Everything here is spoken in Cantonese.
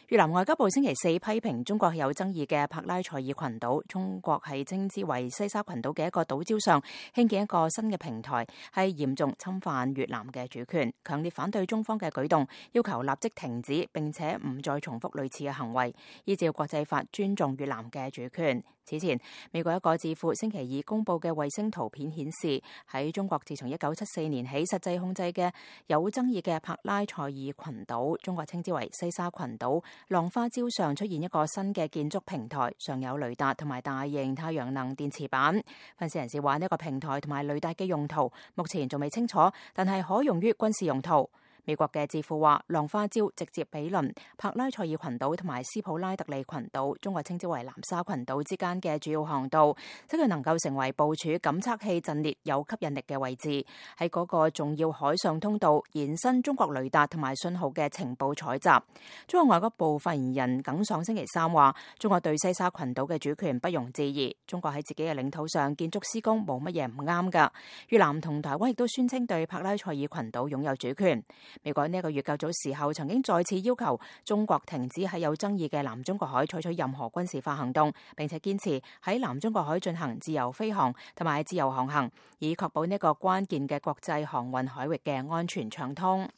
越南外交部星期四批評中國有爭議嘅帕拉賽爾群島，中國係稱之為西沙群島嘅一個島礁上興建一個新嘅平台，係嚴重侵犯越南嘅主權，強烈反對中方嘅舉動，要求立即停止並且唔再重複類似嘅行為，依照國際法尊重越南嘅主權。此前，美國一個智庫星期二公布嘅衛星圖片顯示，喺中國自從1974年起實際控制嘅有爭議嘅帕拉賽爾群島，中國稱之為西沙群島，浪花礁上出現一個新嘅建築平台，上有雷達同埋大型太陽能電池板。分析人士話，呢個平台同埋雷達嘅用途目前仲未清楚，但係可用於軍事用途。美國嘅智庫話，浪花礁直接毗鄰帕拉賽爾群島同埋斯普拉特利群島，中國稱之為南沙群島之間嘅主要航道，即佢能夠成為部署感測器陣列有吸引力嘅位置，喺嗰個重要海上通道延伸中國雷達同埋信號嘅情報採集。中國外交部發言人耿爽星期三話，中國對西沙群島嘅主權不容置疑，中國喺自己嘅領土上建築施工冇乜嘢唔啱㗎。越南同台灣亦都宣稱對帕拉賽爾群島擁有主權。美國呢個月較早時候曾經再次要求中國停止喺有爭議嘅南中國海採取任何軍事化行動，並且堅持喺南中國海進行自由飛航同埋自由航行，以確保呢個關鍵嘅國際航運海域嘅安全暢通。